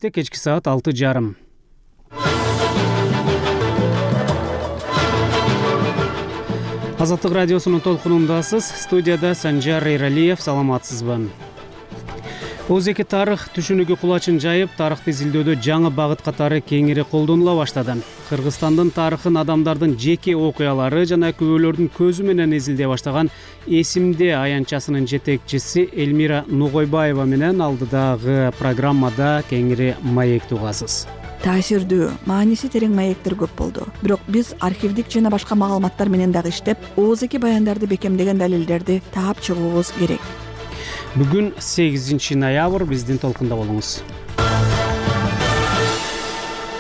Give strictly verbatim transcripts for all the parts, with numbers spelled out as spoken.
Кечки саат алты жарым. Азаттык радиосунун толкунундасыз. Студияда Санжар Эралиев. Саламатсызбы? Озеки тарых түшүнүгү кулачын жайып, тарыхты изилдөөдө жаңы багыт катары кеңири колдонула баштады. Кыргызстандын тарыхын адамдардын жеке окуялары жана күбөлөрдүн көзү менен изилдей баштаган Эсимде аянтчасынын жетекчиси Элмира Нугойбаева менен алдыдагы программада кеңири маектүү угасыз. Таасирдүү, мааниси терең маектер көп болду. Бирок биз архивдик жана башка маалыматтар менен дагы иштеп, озеки баяндарды бекемдеген далилдерди таап чыгуубуз керек. Бүгүн сегизинчи ноябрь, биздин толкунда болуңуз.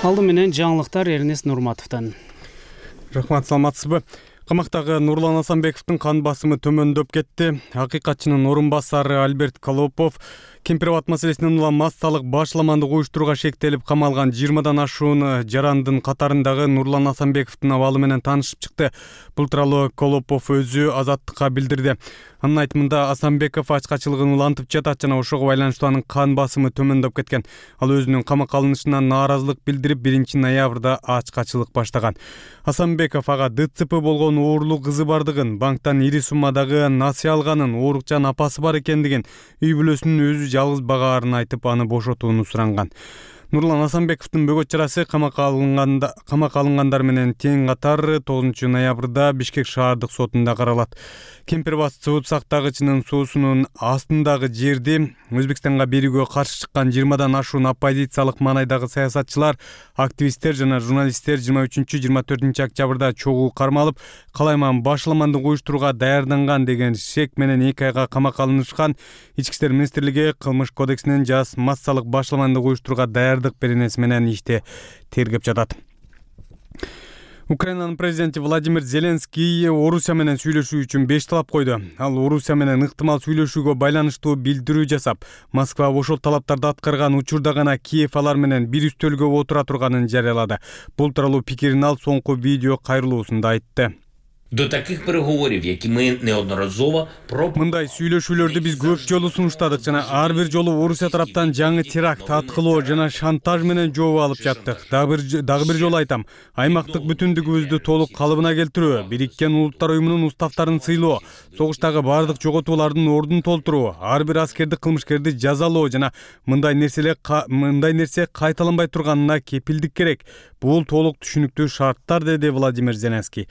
Алды менен жаңылыктар Эрнест Нурматовдон. Рахмат, саламатсызбы? Камактагы Нурлан Асанбековдун кан басымы төмөндөп кетти. Акыйкатчынын орун басары Альберт Колопов Кемпирабад маселесинен улам массалык башламандык уюштурууга шектелип камалган жыйырмадан ашуун жарандын катарындагы Нурлан Асанбековдун абалы менен таанышып чыкты. Бул тууралуу Колопов өзү Азаттыкка билдирди. Анын айтымында Асанбеков ачкачылыгын улантып жатат жана ошого байланыштуу анын кан басымы төмөндөп кеткен. Ал өзүнүн камакка алынышынан нааразылык билдирип биринчи ноябрда ачкачылык баштаган. Асанбеков ага ДЦП болгон оорлуу кызы бардыгын, банктан ири суммадагы насыя алганын, оорукчан апасы бар экендигин, үй бүлөсүнүн өзү жалгыз багаарын айтып, аны бошотууну суранган. Нурлан Асанбековдун бөгөт чарасы камакка алынганда камакка алынгандар менен тең катар тогузунчу ноябрда Бишкек шаардык сотунда каралат. Кемпирабад сот сактагычынын суусунун астындагы жерди Өзбекстанга берүүгө каршы чыккан жыйырмадан ашуун оппозициялык маанайдагы саясатчылар, активисттер жана журналисттер жыйырма үчүнчү жыйырма төртүнчү октябрда чогуу кармалып, калайман башламандык уюштурууга даярданган деген шек менен эки айга камакка алынышкан. Ички иштер министрлиги кылмыш кодексинин жаз массалык башламандык уюштурууга даярдык беренеси менен ишти тергеп жатат. Украинанын президенти Владимир Зеленский Орусия менен сүйлөшүү үчүн беш талап койду. Ал Орусия менен ыктымал сүйлөшүүгө байланыштуу билдирүү жасап, Москва ошол талаптарды аткарган учурда гана Киев алар менен бир үстөлгө отура турганын жарыялады. Бул тууралуу пикирин ал соңку видео кайрылуусунда айтты. До таких переговорів, які ми неодноразово про Мындай сүйлөшүүлөрдү биз көп жолу сунуштадык жана ар бир жолу Орусия тараптан жаңы теракт, аткылоо жана шантаж менен жооп алып жаттык. Дагы бир дагы бир жолу айтам, аймактык бүтүндүгүбүздү толук калыбына келтирүү, Бириккен Улуттар уюмунун уставтарын сыйлоо, согуштагы бардык жоготуулардын ордун толтуруу, ар бир аскердик кылмышкерди жазалоо жана мындай нерселер мындай нерсе кайталанбай турганына кепилдик керек. Бул толук түшүнүктүү шарттар, деди Владимир Зеленский.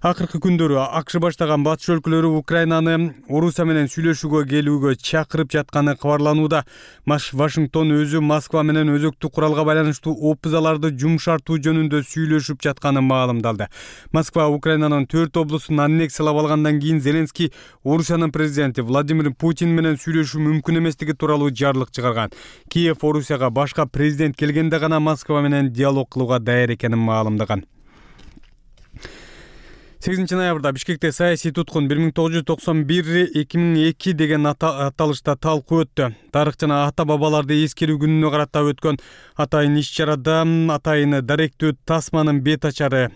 Акыркы күндөрү АКШ баштаган батыш өлкөлөрү Украинаны Орусия менен сүйлөшүүгө келүүгө чакырып жатканы кабарланууда. Вашингтон өзү Москва менен өзөктү куралга байланыштуу опузаларды жумшартуу жөнүндө сүйлөшүп жатканын маалымдалды. Москва Украинанын төрт облусун аннексиялап алгандан кийин Зеленский Орусиянын президенти Владимир Путин менен сүйлөшүү мүмкүн эместиги тууралуу жарлык чыгарган. Киев Орусияга башка президент келгенде гана Москва менен диалог кылууга даяр экенин маалымдаган. сегизинчи ноябрда Бишкекте саясий туткун бир миң тогуз жүз токсон бир эки миң эки деген аталышта талкуу өттү. Тарых жана ата бабаларды эскерүү күнүнө карата өткөн атайын иш-чарада атайын даректүү Тасманын бет ачары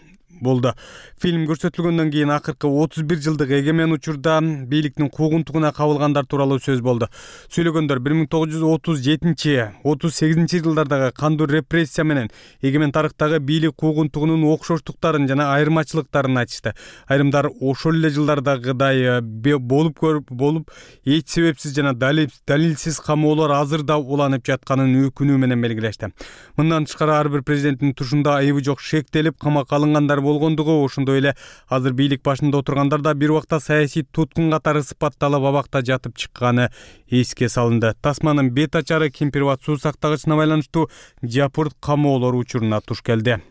болду. Фильм көрсөтүлгөндөн кийин акыркы отуз бир жылдык эгемен учурда бийликтин куугунтугуна кабылгандар тууралуу сөз болду. Сүйлөгөндөр бир миң тогуз жүз отуз жетинчи отуз сегизинчи жылдардагы кандуу репрессия менен эгемен тарыхтагы бийлик куугунтугунун окшоштуктарын жана айырмачылыктарын айтышты. Айрымдар ошол эле жылдардагыдай болуп көрүп болуп эч себепсиз жана далилсиз камоолор азыр да уланып жатканын өкүнүү менен белгилешти. Мындан тышкары ар бир президенттин тушунда айыбы жок шектелип камакка алынгандар болгондугу, ошондой эле азыр бийлик башында отургандар да бир убакта саясий туткун катары сыпатталып абакта жатып чыкканы эске салынды. Тасманын бет ачары Кемпирабад суу сактагычына байланыштуу жапырт камоолор учуруна туш келди.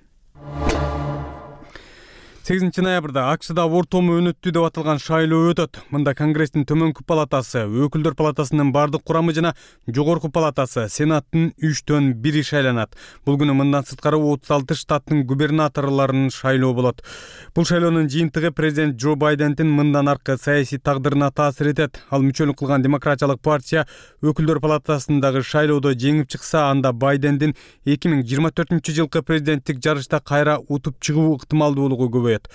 сегизинчи ноябрда АКШда ортому өнөттүү деп аталган шайлоо өтөт. Мында Конгресстин төмөнкү палатасы, Өкүлдөр палатасынын бардык курамы жана жогорку палатасы, Сенаттын үчтөн бири шайланат. Бул күнү мындан сырткары отуз алты штаттын губернаторлорун шайлоо болот. Бул шайлоонун жыйынтыгы президент Джо Байдендин мындан аркы саясий тагдырына таасир этет. Ал мүчөлүк кылган Демократиялык партия Өкүлдөр палатасындагы шайлоодо жеңип чыкса, анда Байдендин эки миң жыйырма төртүнчү жылкы президенттик жарышта кайра утуп чыгуу ыктымалдуулугу көбөйөт. коет.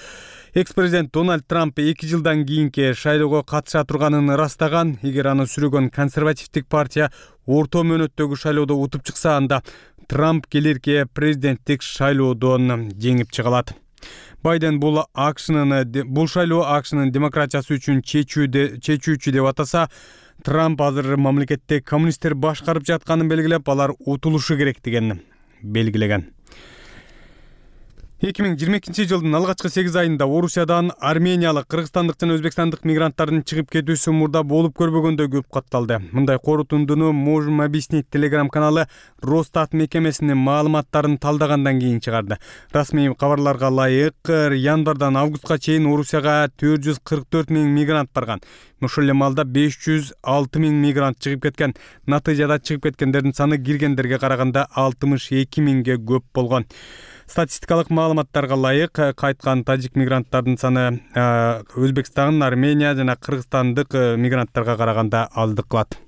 Экс-президент Дональд Трамп эки жылдан кийинки шайлоого катыша турганын ырастаган. Эгер аны сүрөгөн консервативдик партия орто мөөнөттөгү шайлоодо утуп чыкса, анда Трамп келерки президенттик шайлоодон жеңип чыга алат. Байден бул акшнын бул шайлоо акшнын демократиясы үчүн чечүүчү деп атаса, Трамп азыр мамлекетте коммунисттер башкарып жатканын белгилеп, алар утулушу керектигин белгилеген. эки миң жыйырма экинчи жылдын алгачкы сегиз айында Орусиядан армениялык, кыргызстандык жана өзбекстандык мигранттардын чыгып кетүүсү мурда болуп көрбөгөндөй көп катталды. Мындай корутундуну Можем объяснить телеграм каналы Росстат мекемесинин маалыматтарын талдагандан кийин чыгарды. Расмий кабарларга ылайык, январдан августка чейин Орусияга төрт жүз кырк төрт миң мигрант барган. Ушул эле маалда беш жүз алты миң мигрант чыгып кеткен. Натыйжада чыгып кеткендердин саны киргендерге караганда алтымыш эки миңге көп болгон. Статистикалык маалыматтарга ылайык, кайткан тажик мигранттардын саны Өзбекстан, Армения жана Кыргызстандык мигранттарга караганда аздык кылат.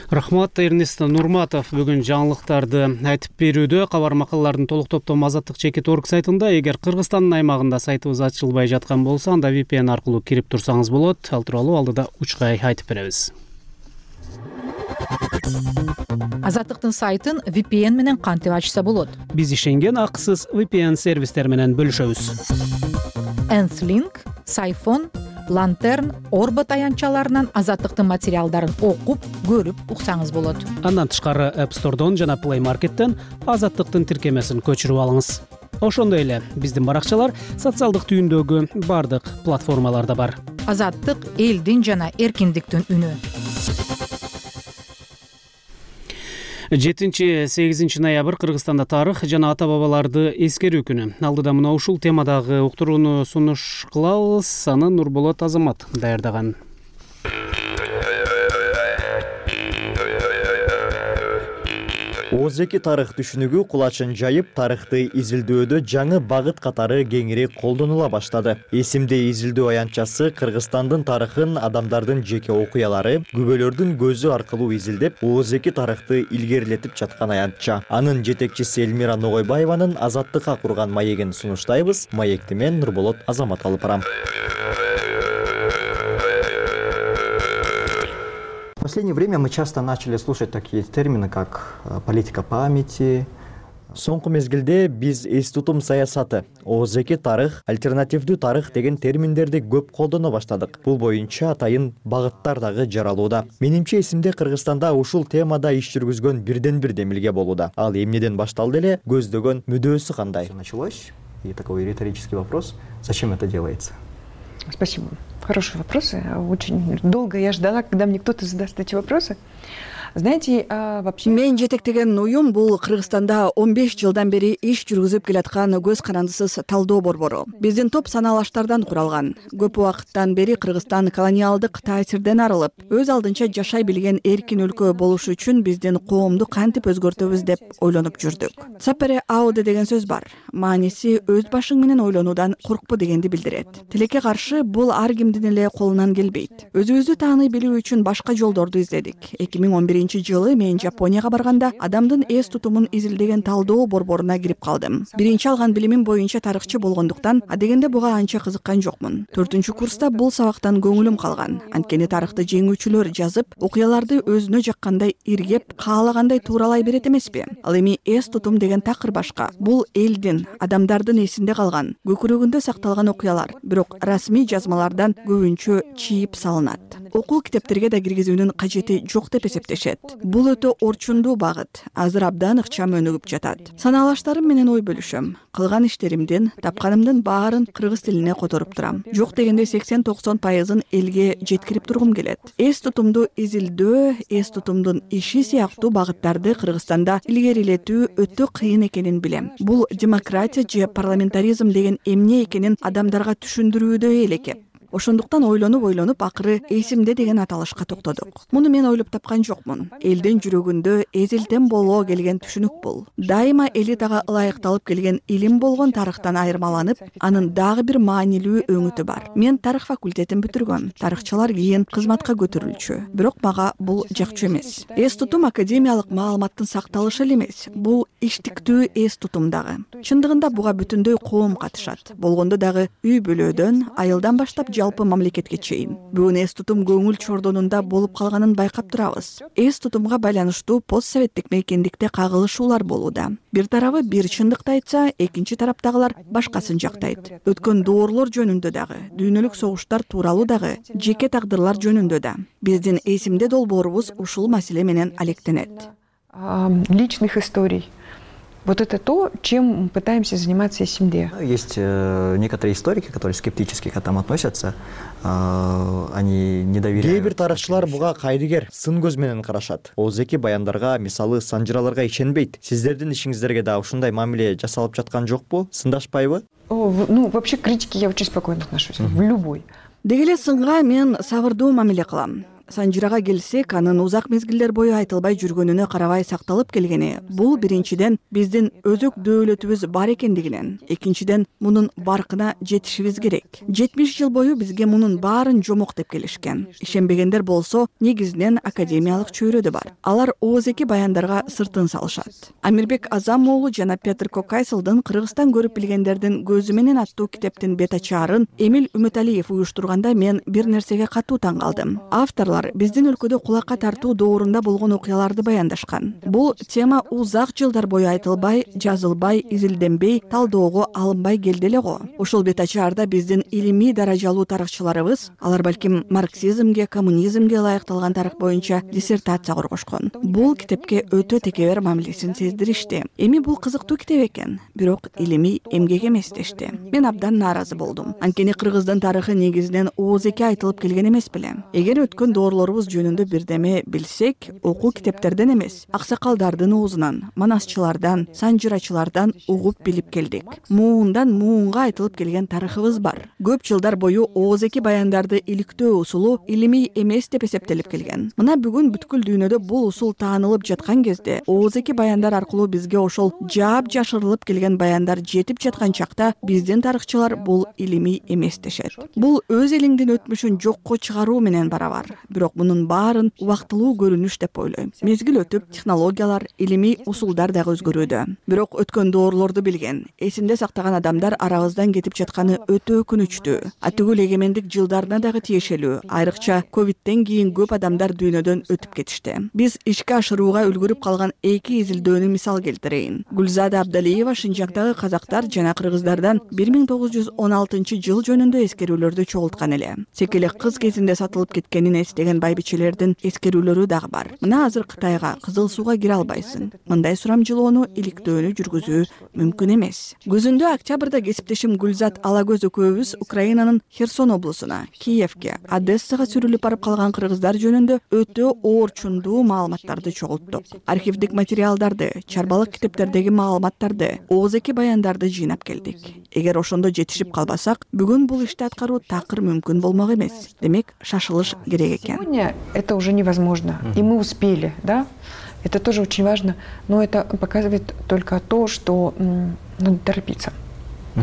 Рахмат, Эрнест Нурматов бүгүн жаңылыктарды айтып берүүдө. Кабар макалалардын толук топтому Азаттык чекит точка орг сайтында. Эгер Кыргызстандын аймагында сайтыбыз ачылбай жаткан болсо, анда ви пи эн аркылуу кирип турсаңыз болот. Ал тууралуу алдыда учкай айтып беребиз. Азаттыктын сайтын ви пи эн менен кантип ачса болот? Биз ишенген акысыз ви пи эн сервистер менен бөлүшөбүз. Энслинк, Сайфон, Лантерн, Орбот аянтчаларынан Азаттыктын материалдарын окуп, көрүп уксаңыз болот. Андан тышкары App Store'дон жана Play Market'тен Азаттыктын тиркемесин көчүрүп алыңыз. Ошондой эле биздин баракчалар социалдык түйүндөгү бардык платформаларда бар. Азаттык элдин жана эркиндиктин үнү. жетинчи сегизинчи ноябрь Кыргызстанда тарых жана ата бабаларды эскерүү күнү. Алдыда мына ушул темадагы уктурууну сунуш кылабыз. Аны Нурболот Азамат даярдаган. Оз эки тарых түшүнүгү кулачын жайып, тарыхты изилдөөдө жаңы багыт катары кеңири колдонула баштады. Эсимде изилдөө аянтчасы Кыргызстандын тарыхын, адамдардын жеке окуялары, күбөлөрдүн көзү аркылуу изилдеп, Оз эки тарыхты илгерилетип жаткан аянтча. Анын жетекчиси Элмира Ногойбаеванын Азаттыкка курган маегин сунуштайбыз. Маекти мен Нурболот Азамат алып барам. В последнее время мы часто начали слушать такие термины, как политика памяти. Соңку мезгилде биз эс тутум саясаты, Оз эки тарых, альтернативдүү тарых деген терминдерди көп колдоно баштадык. Бул боюнча атайын багыттар дагы жаралууда. Менимче эсимде Кыргызстанда ушул темада иш жүргүзгөн бирден бир демилге болууда. Ал эмнеден башталды эле, көздөгөн мүдөөсү кандай? Началось, и такой риторический вопрос: зачем это делается? Спасибо. Хороший вопрос. Очень долго я ждала, когда мне кто-то задаст эти вопросы. Знаете, вообще... Мен жетектеген уюм бул Кыргызстанда он беш жылдан бери иш жүргүзүп келаткан көз карандысыз талдоо борбору. Биздин топ саналаштардан куралган. Көп убакыттан бери Кыргызстан колониалдык таасирден арылып, өз алдынча жашай билген эркин өлкө болушу үчүн биздин коомду кантип өзгөртөбүз деп ойлонуп жүрдүк. Сапере ауде деген сөз бар. Мааниси өз башың менен ойлонуудан коркпу дегенди билдирет. Тилекке каршы бул ар кимдин эле колунан келбейт. Өзүбүздү тааный билүү үчүн башка жолдорду издедик. эки миң он биринчи жылы мен Жапонияга барганда адамдын эс тутумун изилдеген талдоо борборуна кирип калдым. Биринчи алган билимим боюнча тарыхчы болгондуктан адегенде буга анча кызыккан жокмун. төртүнчү курста бул сабактан көңүлүм калган. Анткени тарыхты жеңүүчүлөр жазып, окуяларды өзүнө жаккандай иргеп, каалагандай тууралай берет эмеспи? Ал эми эс тутум деген такыр башка. Бул элдин, адамдардын эсинде калган, көкүрөгүндө сакталган окуялар, бирок расмий жазмалардан көбүнчө чийип салынат. Окуу китептерге да киргизүүнүн кажети жок деп эсептешет. Бул өтө орчундуу багыт. Азыр абдан ыкчам өнүгүп жатат. Санаалаштарым менен ой бөлүшөм. Кылган иштеримдин, тапканымдын баарын кыргыз тилине которуп турам. Жок дегенде сексен токсон пайызын элге жеткирип тургум келет. Эс тутумду изилдөө, эс тутумдун иши сыяктуу багыттарды Кыргызстанда илгерилетүү өтө кыйын экенин билем. Бул демократия же парламентаризм деген эмне экенин адамдарга түшүндүрүүдө элекеп. Ошондуктан ойлонуп ойлонуп акыры эсимде деген аталышка токтодук. Муну мен ойлоп тапкан жокмун. Элдин жүрөгүндө эзилтен боло келген түшүнүк бул. Дайыма элитага ылайыкталып келген илим болгон тарыхтан айырмаланып, анын дагы бир маанилүү өңүтү бар. Мен тарых факультетин бүтүргөм. Тарыхчылар кийин кызматка көтөрүлчү. Бирок мага бул жакчу эмес. Эс тутум академиялык маалыматтын сакталышы эле эмес. Бул иштиктүү эс тутум дагы. Чындыгында буга бүтүндөй коом катышат. Болгондо дагы үй бүлөдөн, айылдан баштап жалпы мамлекетке чейин. Бүгүн эс тутум көңүл чордонунда болуп калганын байкап турабыз. Эс тутумга байланыштуу постсоветтик мейкиндикте кагылышуулар болууда. Бир тарабы бир чындыкты айтса, экинчи тараптагылар башкасын жактайт. Өткөн доорлор жөнүндө дагы, дүйнөлүк согуштар тууралуу дагы, жеке тагдырлар жөнүндө да. Биздин эсимде долбоорубуз ушул маселе менен алектенет. Личных историй. Вот это то, чем мы пытаемся заниматься эсимде. Есть э, некоторые историки, которые скептически к этому относятся. Э, они не доверяют. Кээ бир тарыхчылар буга кайрыгер, сын көз менен карашат. Оозеки баяндарга, мисалы санжыраларга ишенбейт. Сиздердин ишиңиздерге да ушундай мамиле жасалып жаткан жокпу? Сындашпайбы? О, в- ну, вообще к критике я очень спокойно отношусь. В любой. Деги эле сынга мен сабырдуу мамиле кылам. Санжырага келсек, анын узак мезгилдер бою айтылбай жүргөнүнө карабай сакталып келгени бул биринчиден биздин өзөк дөөлөтүбүз бар экендигинен, экинчиден мунун баркына жетишибиз керек. жетимиш жыл бою бизге мунун баарын жомок деп келишкен. Ишенбегендер болсо, негизинен академиялык чөйрөдө бар. Алар оозеки баяндарга сыртын салышат. Амирбек Азам уулу жана Петр Кокайсылдын Кыргызстан көрүп билгендердин көзү менен аттуу китептин бет ачаарын Эмил Үмүталиев уюштурганда мен бир нерсеге катуу таң калдым. Авторлор биздин өлкөдө кулакка тартуу доорунда болгон окуяларды баяндашкан. Бул тема узак жылдар бою айтылбай, жазылбай, изилденбей, талдоого алынбай келди эле го. Ошол бет ачаарда биздин илимий даражалуу тарыхчыларыбыз, алар балким марксизмге, коммунизмге ылайыкталган тарых боюнча диссертация коргошкон. Бул китепке өтө текебер мамилесин сездиришти. Эми бул кызыктуу китеп экен, бирок илимий эмгек эмес дешти. Мен абдан нааразы болдум. Анткени Кыргыздын тарыхы негизинен оозеки айтылып келген эмес беле. Эгер өткөн доорлорубуз жөнүндө бирдеме билсек, окуу китептерден эмес, аксакалдардын оозунан, манасчылардан, санжырачылардан угуп билип келдик. Муундан муунга айтылып келген тарыхыбыз бар. Көп жылдар бою оозеки баяндарды иликтөө усулу илимий эмес деп эсептелип келген. Мына бүгүн бүткүл дүйнөдө бул усул таанылып жаткан кезде, оозеки баяндар аркылуу бизге ошол жаап жашырылып келген баяндар жетип жаткан чакта биздин тарыхчылар бул илимий эмес дешет. Бул өз элиңдин өтмүшүн жокко чыгаруу менен барабар. Бирок мунун баарын убактылуу көрүнүш деп ойлойм. Мезгил өтүп, технологиялар, илимий усулдар дагы өзгөрүүдө. Бирок өткөн доорлорду билген, эсинде сактаган адамдар арабыздан кетип жатканы өтө өкүнүчтүү. Атүгүл эгемендик жылдарына дагы тиешелүү. Айрыкча ковидтен кийин көп адамдар дүйнөдөн өтүп кетишти. Биз ишке ашырууга үлгүрүп калган эки изилдөөнү мисал келтирейин. Гүлзада Абдалиева Шинжаңдагы казактар жана кыргыздардан бир миң тогуз жүз он алтынчы жыл жөнүндө эскерүүлөрдү чогулткан эле. Секелек кыз кезинде сатылып кеткенин эстеген байбичелердин эскерүүлөрү дагы бар. Мына азыр Кытайга, Кызыл сууга кире албайсың. Мындай сурамжылоону, иликтөөнү жүргүзүү мүмкүн эмес. Күзүндө октябрда кесиптешим Гүлзат Алагөз экөөбүз Украинанын Херсон облусуна, Киевке, Одессага сүрүлүп барып калган кыргыздар жөнүндө өтө оорчундуу маалыматтарды чогулттук. Архивдик материалдарды, чарбалык китептердеги маалыматтарды, оозеки баяндарды жыйнап келдик. Эгер ошондо жетишип калбасак, бүгүн бул ишти аткаруу такыр мүмкүн болмок эмес. Демек, шашылыш керек экен. Сегодня это уже невозможно, и мы успели, да? Это тоже очень важно, но это показывает только то, что м, надо торопиться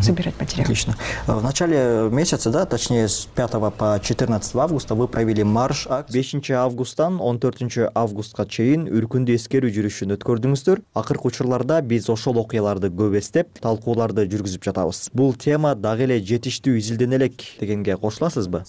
собирать материал. Отлично. В начале месяца, да, точнее с пятого по четырнадцатое августа вы провели марш акт. бешинчи августтан он төртүнчү августка чейин үркүндүү эскерүү жүрүшүн өткөрдүңүздөр. Акыркы учурларда биз ошол окуяларды көп эстеп, талкууларды жүргүзүп жатабыз. Бул тема дагы эле жетиштүү изилдене элек дегенге кошуласызбы?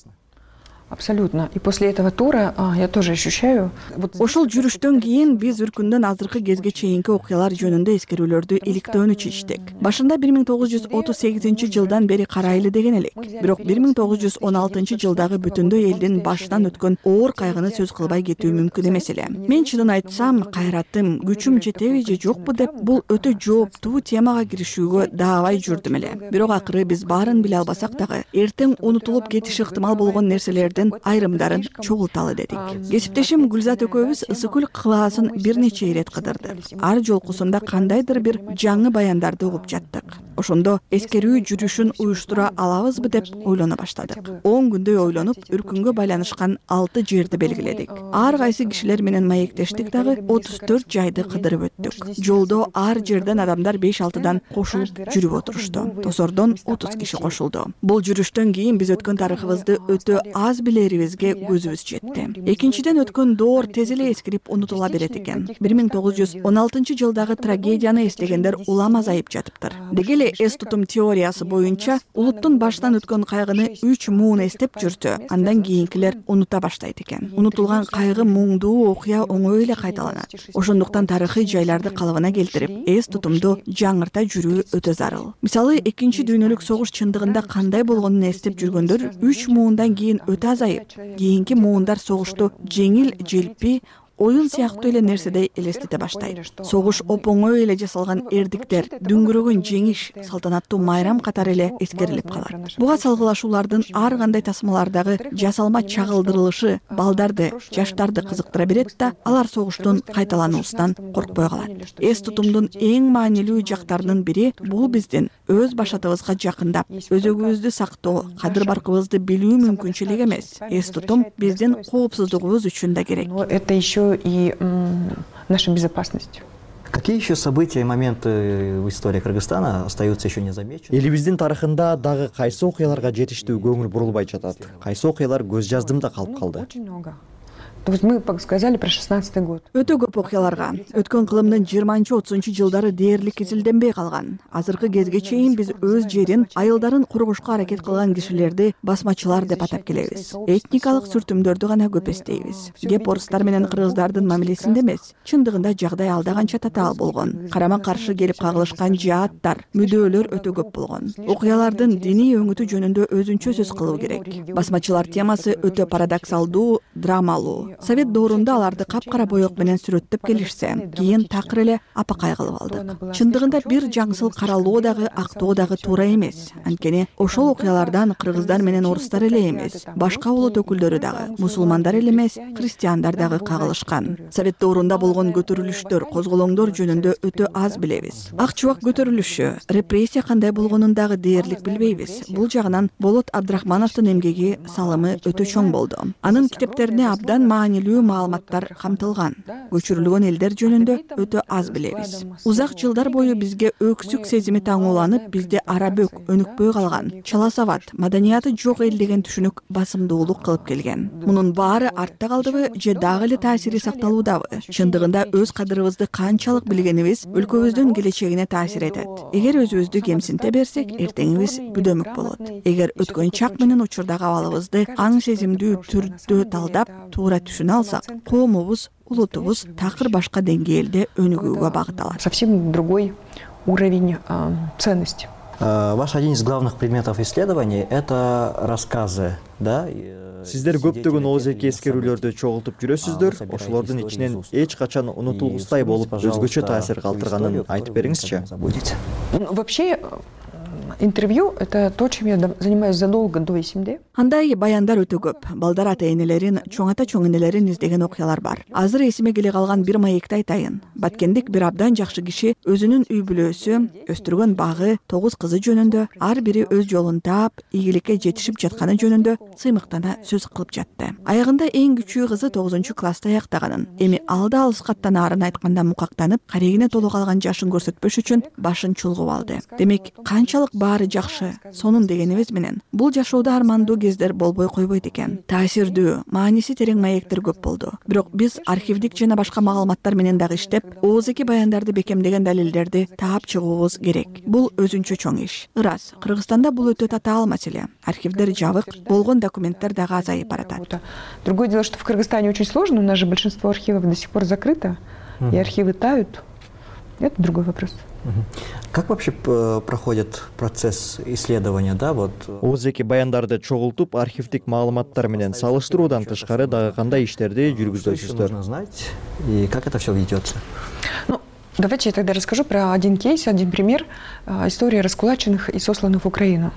Абсолютно. И после этого тура а, я тоже ощущаю... Вот... Ошол жүрүштөн кийин биз үркүндөн азыркы кезге чейинки окуялар жөнүндө эскерүүлөрдү иликтөөнү чечтик. Башында бир миң тогуз жүз отуз сегизинчи жылдан бери карайлы деген элек. Бирок бир миң тогуз жүз он алтынчы жылдагы бүтүндөй элдин башынан өткөн оор кайгыны сөз кылбай кетүү мүмкүн эмес эле. Мен чынын айтсам, кайратым, күчүм жетеби же жокпу деп бул өтө жооптуу темага киришүүгө даабай жүрдүм эле. Бирок акыры биз баарын биле албасак дагы, эртең унутулуп кетиши ыктымал болгон нерселерди эсепттердин айрымдарын чогулталы дедик. Кесиптешим Гүлзат экөөбүз ысык көл кылаасын бир нече ирет кыдырдык. Ар жолкусунда кандайдыр бир жаңы баяндарды угуп жаттык. Ошондо эскерүү жүрүшүн уюштура алабызбы деп ойлоно баштадык. он күндөй ойлонуп, үркүнгө байланышкан алты жерди белгиледик. Ар кайсы кишилер менен маектештик дагы отуз төрт жайды кыдырып өттүк. Жолдо ар жерден адамдар беш алтыдан кошулуп жүрүп отурушту. Тосордон отуз киши кошулду. Бул жүрүштөн кийин биз өткөн тарыхыбызды өтө аз билерибизге көзүбүз жетти. Экинчиден, өткөн доор тез эле эскирип унутула берет экен. бир миң тогуз жүз он алтынчы жылдагы трагедияны эстегендер улам азайып жатыптыр. Деги эле эс тутум теориясы боюнча улуттун баштан өткөн кайгыны үч муун эстеп жүрсө, андан кийинкилер унута баштайт экен. Унутулган кайгы, муңдуу окуя оңой эле кайталанат. Ошондуктан тарыхый жайларды калыбына келтирип, эс тутумду жаңырта жүрүү өтө зарыл. Мисалы, экинчи дүйнөлүк согуш чындыгында кандай болгонун эстеп жүргөндөр үч муундан кийин өтө азайып, кийинки муундар согушту жеңил, желпи, оюн сыяктуу эле нерседей элестете баштайт. Согуш оп-оңой эле жасалган эрдиктер, дүңгүрөгөн жеңиш, салтанаттуу майрам катары эле эскерилип калат. Буга салгылашуулардын ар кандай тасмалардагы жасалма чагылдырылышы балдарды, жаштарды кызыктыра берет да, алар согуштун кайталануусунан коркпой калат. Эс тутумдун эң маанилүү жактарынын бири бул биздин өз башатыбызга жакындап, өзөгүбүздү сактоо, кадыр-баркыбызды билүү мүмкүнчүлүк эмес. Эс тутум биздин коопсуздугубуз үчүн да керек. Это еще и м, наша безопасность. Какие еще события и моменты в истории Кыргызстана остаются еще незамеченными? Элибиздин тарыхында дагы кайсы окуяларга жетиштүү көңүл бурулбай жатат? Кайсы окуялар көз жаздымда калып калды? Очень много. То есть мы сказали про шестнадцатый год. Өтө көп окуяларга өткөн кылымдын жыйырманчы отузунчу жылдары дээрлик изилденбей калган. Азыркы кезге чейин биз өз жерин, айылдарын кургушка аракет кылган кишилерди басмачылар деп атап келебиз. Этникалык сүртүмдөрдү гана көп эстейбиз. Кеп орустар менен кыргыздардын мамилесинде эмес, чындыгында жагдай алда канча татаал болгон. Карама каршы келип кагылышкан жааттар, мүдөөлөр өтө көп болгон. Окуялардын диний өңүтү жөнүндө өзүнчө сөз кылуу керек. Басмачылар темасы өтө парадоксалдуу, драмалуу. Совет доорунда аларды капкара боек менен сүрөттөп келишсе, кийин такыр эле апакай кылып алдык. Чындыгында бир жаңсыл каралоо дагы, актоо дагы туура эмес. Анткени ошол окуялардан кыргыздар менен орустар эле эмес, башка улут өкүлдөрү дагы, мусулмандар эле эмес, христиандар дагы кагылышкан. Совет доорунда болгон көтөрүлүштөр, козголоңдор жөнүндө өтө аз билебиз. Ак чубак көтөрүлүшү, репрессия кандай болгонун дагы дээрлик билбейбиз. Бул жагынан Болот Абдрахмановдун эмгеги, салымы өтө чоң болду. Анын китептерине абдан маанилүү маалыматтар камтылган. Көчүрүлгөн элдер жөнүндө өтө аз билебиз. Узак жылдар бою бизге өксүк сезими таңууланып, бизде арабөк, өнүкпөй калган, чала сабат, маданияты жок эл деген түшүнүк басымдуулук кылып келген. Мунун баары артта калдыбы же дагы эле таасири сакталуудабы? Чындыгында өз кадырыбызды канчалык билгенибиз өлкөбүздүн келечегине таасир этет. Эгер өзүбүздү кемсинте берсек, эртеңибиз бүдөмүк болот. Эгер өткөн чак менен учурдагы абалыбызды аң сезимдүү түрдө талдап, туура түшүнө алсак, коомубуз, улутубуз такыр башка деңгээлде өнүгүүгө багыт алат. Совсем другой уровень э, ценности. Ваш один из главных предметов исследований – это рассказы, да? Сиздер көптөгөн оозеки эскерүүлөрдү чогултуп жүрөсүздөр. Ошолордун ичинен эч качан унутулгустай болуп, өзгөчө таасир калтырганын айтып бериңизчи. Вообще, интервью – это то, чем я занимаюсь задолго до эсимде. Андай баяндар өтө көп. Балдар ата-энелерин, чоң ата чоң энелерин издеген окуялар бар. Азыр эсиме келе калган бир маекти айтайын. Баткендик бир абдан жакшы киши өзүнүн үй бүлөсү, өстүргөн багы, тогуз кызы жөнүндө, ар бири өз жолун таап, ийгиликке жетишип жатканы жөнүндө сыймыктана сөз кылып жатты. Аягында эң күчүү кызы тогузунчу класста аяктаганын, эми алда алыскаттан арын айтканда мукактанып, карегине толуп калган жашын көрсөтпөш үчүн башын чулгуп алды. Демек, канчалык баары жакшы, сонун дегенибиз менен бул жашоодо армандуу кездер болбой койбойт экен. Таасирдүү, мааниси терең маектер көп болду. Бирок биз архивдик жана башка маалыматтар менен дагы иштеп, оозеки баяндарды бекемдеген далилдерди таап чыгуубуз керек. Бул өзүнчө чоң иш. Ырас, Кыргызстанда бул өтө татаал маселе. Архивдер жабык, болгон документтер дагы азайып баратат. Другое дело, что в Кыргызстане очень сложно, у нас же большинство архивов до сих пор закрыто, и архивы тают. Это другой вопрос. Как вообще проходит процесс исследования, да, вот? Оозеки баяндарды чогултуп, архивдик маалыматтар менен салыштыруудан тышкары дагы кандай иштерди жүргүзөсүздөр? Нужно знать, и как это все ведется? Ну, давайте я тогда расскажу про один кейс, один пример истории раскулаченных и сосланных в Украину.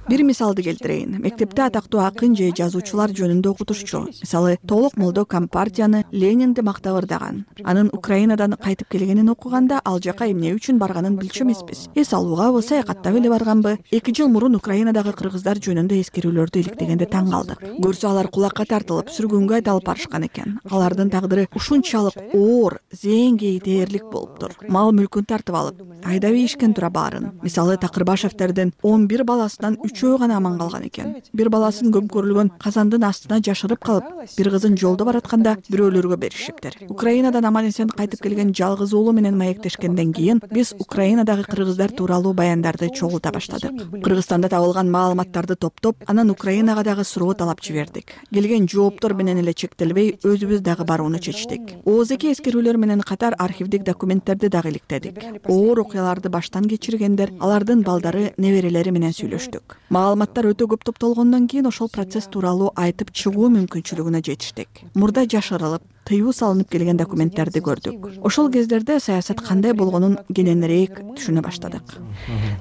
Бир мисалды келтирейин. Мектепте атактуу акын же жазуучулар жөнүндө окутушчу, мисалы Толук молдо Компартияны, Ленинди мактап ырдаган. Анын Украинадан кайтып келгенин окуганда ал жака эмне үчүн барганын билчү эмеспиз. Эс алуугабы, саякаттап эле барганбы? эки жыл мурун Украинадагы кыргыздар жөнүндө эскерүүлөрдү иликтегенде таң калдык. Көрсө алар кулакка тартылып, сүргүнгө айдалып барышкан экен. Алардын тагдыры ушунчалык оор, зээнгей дээрлик болуптур. Мал мүлкүн тартып алып, айдап ийишкен тура баарын. Мисалы Такырбашевтердин он бир баласынан үчөө гана аман калган экен. Бир баласын көмкөрүлгөн казандын астына жашырып калып, бир кызын жолдо баратканда бирөөлөргө беришиптир. Украинадан аман эсен кайтып келген жалгыз уулу менен маектешкенден кийин биз Украинадагы кыргыздар тууралуу баяндарды чогулта баштадык. Кыргызстанда табылган маалыматтарды топтоп, анан Украинага дагы суроо талап жибердик. Келген жооптор менен эле чектелбей, өзүбүз дагы барууну чечтик. Оозеки эскерүүлөр менен катар архивдик документтерди дагы иликтедик. Оор окуяларды баштан кечиргендер, алардын балдары, неберелери менен сүйлөштүк. Маалыматтар өтө көп топтолгондон кийин ошол процесс тууралуу айтып чыгуу мүмкүнчүлүгүнө жетиштик. Мурда жашырылып, тыюу салынып келген документтерди көрдүк. Ошол кездерде саясат кандай болгонун кененирээк түшүнө баштадык.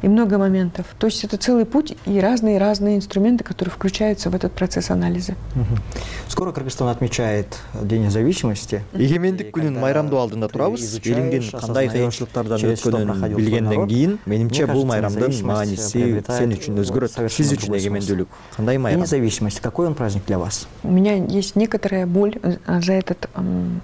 И много моментов. То есть это целый путь и разные-разные инструменты, которые включаются в этот процесс анализа. Скоро Кыргызстан отмечает День независимости. Эгемендик күнүн майрамдоо алдында турабыз. Элиңдин кандай кыйынчылыктардан өткөнүн билгенден кийин, менимче бул майрамдын мааниси сен үчүн өзгөрөт. Сиз үчүн эгемендүүлүк кандай майрам? День независимости. Какой он праздник для вас? У меня есть некоторая боль за этот м,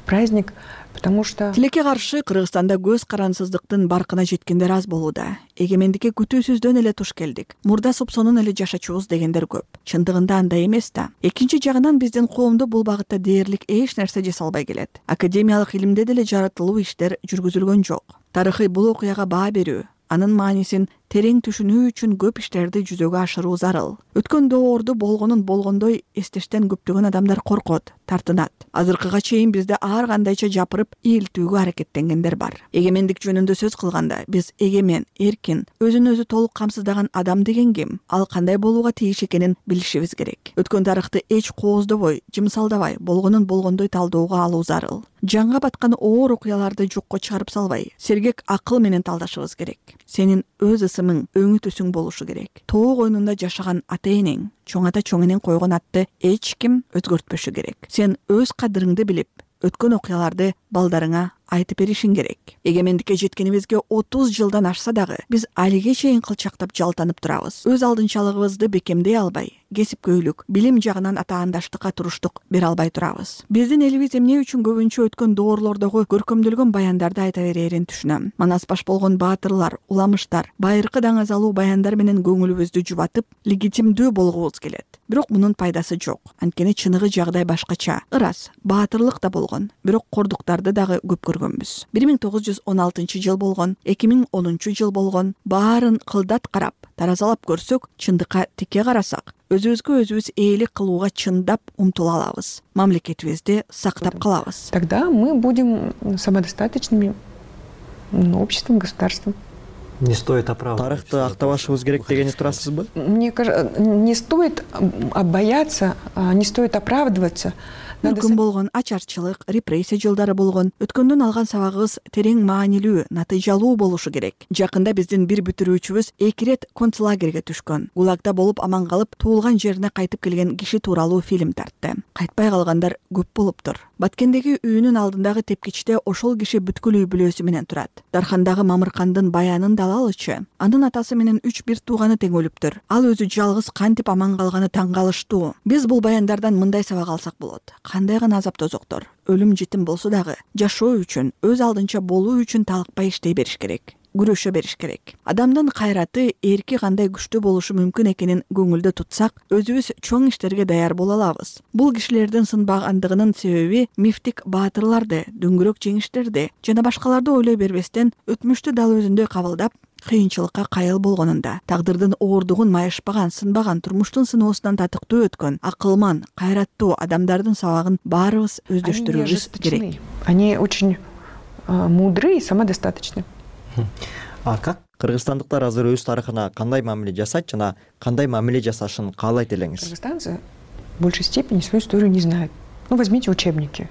праздник, потому что Тилекке каршы Кыргызстанда көз карансыздыктын баркына жеткендер аз болууда. Эгемендикке күтүүсүздөн эле туш келдик. Мурда супсонун эле жашачубуз дегендер көп. Чындыгында андай эмес да. Экинчи жагынан биздин коомдо бул багытта дээрлик эч нерсе жасалбай келет. Академиялык илимде деле жаратылуу иштер жүргүзүлгөн жок. Тарыхый бул окуяга баа берүү, анын маанисин терең түшүнүү үчүн көп иштерди жүзөгө ашыруу зарыл. Өткөн доорду болгонун болгондой эстештен көптөгөн адамдар коркот, тартынат. Азыркыга чейин бизде ар кандайча жапырып ийилтүүгө аракеттенгендер бар. Эгемендик жөнүндө сөз кылганда биз эгемен, эркин, өзүн өзү толук камсыздаган адам деген ким? Ал кандай болууга тийиш экенин билишибиз керек. Өткөн тарыхты эч кооздобой, жымсалдабай, болгонун болгондой талдоого алуу зарыл. Жанга баткан оор окуяларды жокко чыгарып салбай, сергек акыл менен талдашыбыз керек. Сенин өз ысымың, өңү түсүң болушу керек. Тоо койнунда жашаган ата-энең, чоң ата чоң энең койгон атты эч ким өзгөртпөшү керек. Сен өз кадырыңды билип, өткөн окуяларды балдарыңа айтып беришиң керек. Эгемендикке жеткенибизге отуз жылдан ашса дагы биз алиге чейин кылчактап жалтанып турабыз. Өз алдынчалыгыбызды бекемдей албай, кесипкөйлүк, билим жагынан атаандаштыкка туруштук бере албай турабыз. Биздин элибиз эмне үчүн көбүнчө өткөн доорлордогу көркөмдөлгөн баяндарды айта берерин түшүнөм. Манас баш болгон баатырлар, уламыштар, байыркы даңазалуу баяндар менен көңүлүбүздү жубатып, легитимдүү болгубуз келет. Бирок мунун пайдасы жок. Анткени чыныгы жагдай башкача. Ырас, баатырлык да болгон, бирок кордуктарды дагы көп көргөнбүз. бир миң тогуз жүз он алтынчы жыл болгон, эки миң онунчу жыл болгон, баарын кылдат карап, таразалап көрсөк, чындыкка тикке карасак, өзүбүзгө өзүбүз ээлик кылууга чындап умтула алабыз. Мамлекетибизди сактап калабыз. Тогда мы будем самодостаточными обществом, государством. Не стоит оправдывать. Тарыхты актабашыбыз керек дегени турасызбы? Мне кажется, не стоит бояться, не стоит оправдываться. Мүмкүн болгон ачарчылык, репрессия жылдары болгон, өткөндөн алган сабагыбыз терең маанилүү, натыйжалуу болушу керек. Жакында биздин бир бүтүрүүчүбүз эки ирет концлагерге түшкөн. Гулагда болуп аман калып, туулган жерине кайтып келген киши тууралуу фильм тартты. Кайтпай калгандар көп болуптур. Баткендеги үйүнүн алдындагы тепкичте ошол киши бүткүл үй бүлөсү менен турат. Дархандагы Мамыркандын баянын да алалычы. Анын атасы менен үч бир тууганы тең өлүптүр. Ал өзү жалгыз кантип аман калганы таң калыштуу. Биз бул баяндардан мындай сабак алсак болот. Кандай гана азап тозоктор, өлүм житим болсо дагы жашоо үчүн, өз алдынча болуу үчүн талыкпай иштей бериш керек. Күрөшө бериш керек. Адамдын кайраты, эрки кандай күчтүү болушу мүмкүн экенин көңүлдө тутсак, өзүбүз чоң иштерге даяр боло алабыз. Бул кишилердин сынбагандыгынын себеби мифтик баатырларды, дөңгөрөк жеңиштерди жана башкаларды ойлой бербестен өтмүштү дал өзүндөй кабылдап, кыйынчылыкка кайыл болгонунда, тагдырдын оордугун майышпаган, сынбаган, турмуштун сыноосунан татыктуу өткөн, акылман, кайраттуу адамдардын сабагын баарыбыз өздөштүрүүбүз керек. Они очень мудры и самодостаточны. А как Кыргызстандыктар азыр өз тарыхына кандай мамиле жасайт жана кандай мамиле жасашын каалайт элеңиз? Кыргызстанцы в большей степени свою историю не знают. Ну, возьмите учебники.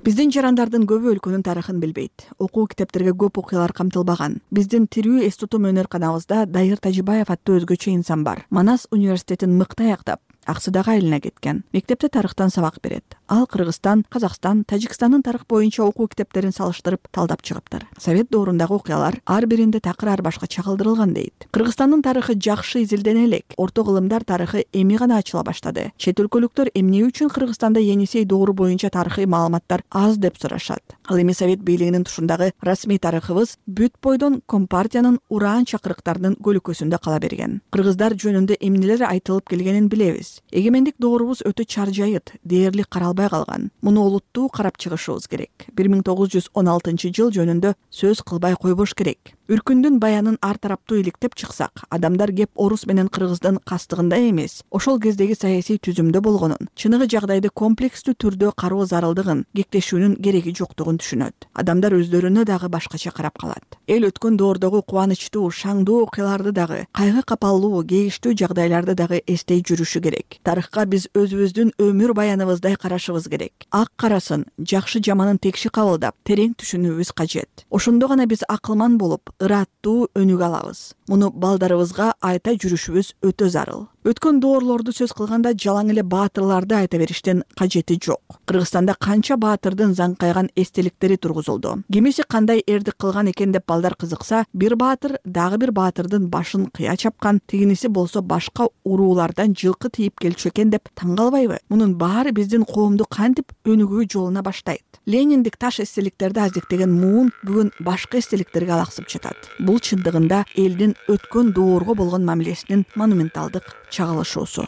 Биздин жарандардын көбү өлкөнүн тарыхын билбейт. Окуу китептерге көп окуялар камтылбаган. Биздин тирүү эс тутум өнөр-канабызда Дайыр Тажибаев аттуу өзгөчө инсан бар. Манас университетин мыкты аяктап, Аксыдагы айылына кеткен. Мектепте тарыхтан сабак берет. Ал Кыргызстан, Казакстан, Тажикстандын тарых боюнча окуу китептерин салыштырып, талдап чыгыптыр. Совет доорундагы окуялар ар биринде такыр ар башка чагылдырылган дейт. Кыргызстандын тарыхы жакшы изилдене элек. Орто кылымдар тарыхы эми гана ачыла баштады. Чет өлкөлүктөр эмне үчүн Кыргызстанда Енисей доору боюнча тарыхый маалыматтар аз деп сурашат. Ал эми Совет бийлигинин тушундагы расмий тарыхыбыз бүт бойдон Компартиянын ураан чакырыктарынын көлөкөсүндө кала берген. Кыргыздар жөнүндө эмнелер айтылып келгенин билебиз. Эгемендик доорубуз өтө чаржайыт, дээрлик каралбай калган. Муну олуттуу карап чыгышыбыз керек. бир миң тогуз жүз он алтынчы жыл жөнүндө сөз кылбай койбош керек. Үркүндүн баянын ар тараптуу иликтеп чыксак, адамдар кеп орус менен кыргыздын кастыгында эмес, ошол кездеги саясий түзүмдө болгонун, чыныгы жагдайды комплекстүү түрдө кароо зарылдыгын, кектешүүнүн кереги жоктугун түшүнөт. Адамдар өздөрүнө дагы башкача карап калат. Эл өткөн доордогу кубанычтуу, шаңдуу окуяларды дагы, кайгы капалуу, кейиштүү жагдайларды дагы эстей жүрүшү керек. Тарыхка биз өзүбүздүн өмүр баяныбыздай карашыбыз керек. Ак карасын, жакшы жаманын текши кабылдап, терең түшүнүүбүз кажет. Ошондо гана биз акылман болуп, ыраттуу өнүгө алабыз. Муну балдарыбызга айта жүрүшүбүз өтө зарыл. Өткөн доорлорду сөз кылганда жалаң эле баатырларды айта бериштин кажети жок. Кыргызстанда канча баатырдын заңкайган эстеликтери тургузулду. Кимиси кандай эрдик кылган экен деп балдар кызыкса, бир баатыр дагы бир баатырдын башын кыя чапкан, тигиниси болсо башка уруулардан жылкы тийип келчү экен деп таң калбайбы? Мунун баары биздин коомду кантип өнүгүү жолуна баштайт. Лениндик таш эстеликтерди аздектеген муун бүгүн башка эстеликтерге алаксып жатат. Бул чындыгында элдин өткөн доорго болгон мамилесинин монументалдык чагылышуусу.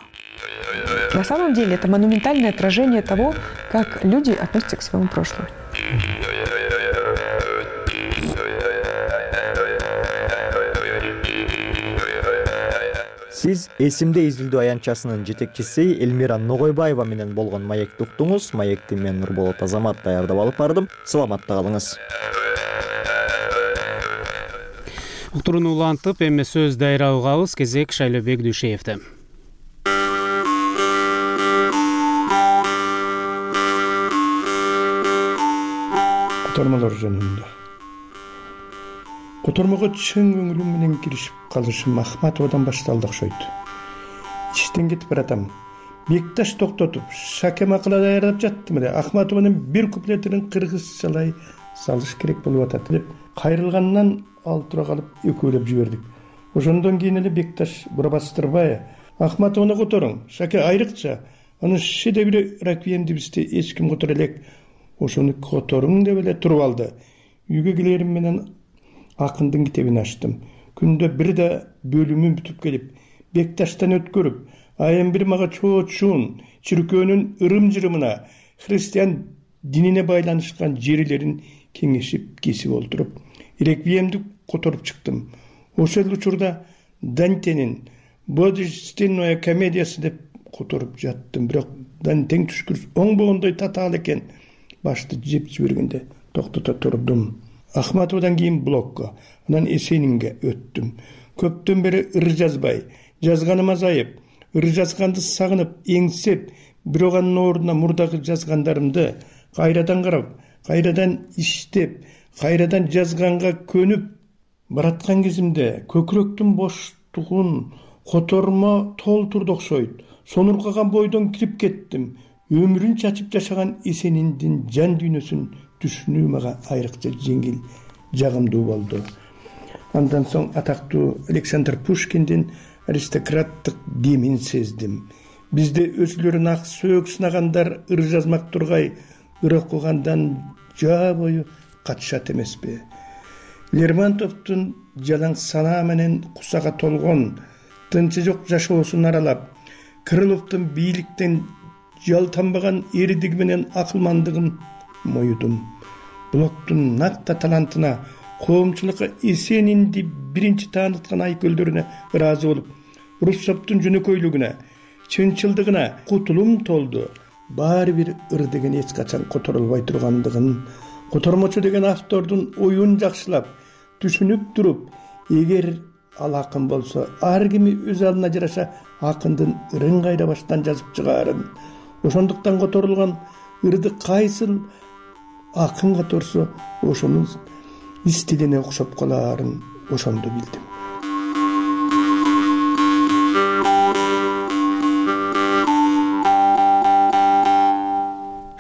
На самом деле это монументальное отражение того, как люди относятся к своему прошлому. Сиз эсимде изилдөө аянтчасынын жетекчиси Элмира Ногойбаева менен болгон маекти уктуңуз. Маекти мен Нурболот Азамат даярдап алып бардым. Саламатта калыңыз. Уктурууну улантып, эми сөз дайра угабыз. Кезек Шайлобек Дүйшеевде. Котормолор жөнүндө. Котормого чың көңүлүм менен киришип калышым Ахматовадан башталды окшойт. Иштен кетип баратам. Бекташ токтотуп, шаке макала даярдап жаттым эле. Ахматованын бир куплетин кыргызчалай салыш керек болуп атат деп кайрылгандан ал тура калып экөөлөп жибердик. Ошондон кийин эле Бекташ бурабастырбай, Ахматованы которуң, шаке айрыкча, анын шиде бир раквиемди бизде эч ким которо элек. Ошону которуң деп эле туруп алды. Үйгө келерим менен акындын китебин ачтым. Күндө бир да бөлүмүн бүтүп келип, Бекташтан өткөрүп, айым бир мага чоочун чиркөөнүн ырым-жырымына, христиан динине байланышкан жерлерин кеңешип кесип олтуруп, реквиемди которуп чыктым. Ошол учурда Дантенин Божественная комедиясы деп которуп жаттым. Бирок Дантен түшкүрүс оңбогондой татаал экен. Башты жеп жибергенде токтото турдум. Ахматовадан кийин блокко, анан Эсенинге өттүм. Көптөн бери ыр жазбай, жазганым азайып, ыр жазганды сагынып, эңсеп, бирок анын ордуна мурдагы жазгандарымды кайрадан карап, кайрадан иштеп, кайрадан жазганга көнүп бараткан кезимде көкүрөктүн боштугун котормо толтурду окшойт. Сонуркаган бойдон кирип кеттим. Өмүрүн чачып жашаган Эсениндин жан дүйнөсүн түшүнүү мага айрыкча жеңил, жагымдуу болду. Андан соң атактуу Александр Пушкиндин аристократтык демин сездим. Бизде өзүлөрүн ак сөөк сынагандар ыр жазмак тургай, ыр окугандан жаа бою катышат эмеспи? Лермонтовдун жалаң санаа менен кусага толгон, тынчы жок жашоосун аралап, Крыловдун бийликтен жалтанбаган эрдиги менен акылмандыгын моюдум. Блоктун накта талантына, коомчулукка Эсенинди биринчи тааныткан айкөлдөрүнө ыраазы болуп, Руссоптун жөнөкөйлүгүнө, чынчылдыгына кутулум толду. Баары бир ыр деген эч качан которулбай тургандыгын, котормочу деген автордун оюн жакшылап, түшүнүп туруп, эгер ал акын болсо, ар кими өз алдына жараша акындын ырын кайда баштан жазып чыгаарын, ошондуктан которулган ырды кайсыл акын каторсо ошонун стилине окшоп калаарын ошондо билдим.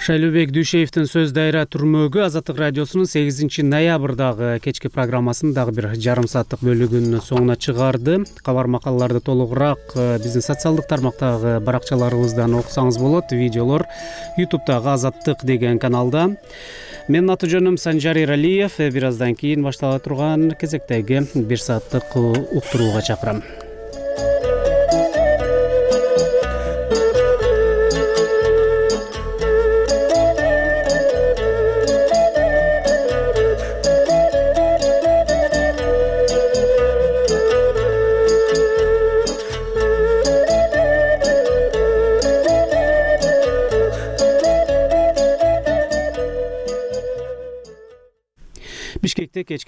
Шайлообек Дүйшеевдин сөз дайра түрмөгү Азаттык радиосунун сегизинчи ноябрдагы кечки программасынын дагы бир жарым сааттык бөлүгүнүн соңуна чыгарды. Кабар макалаларды толугураак биздин социалдык тармактагы баракчаларыбыздан окусаңыз болот. Видеолор ютубтагы Азаттык деген каналда. Менин аты жөнүм Санжар Иралиев. Бир аздан кийин баштала турган кезектеги бир сааттык уктурууга чакырам. Бишкекте кечки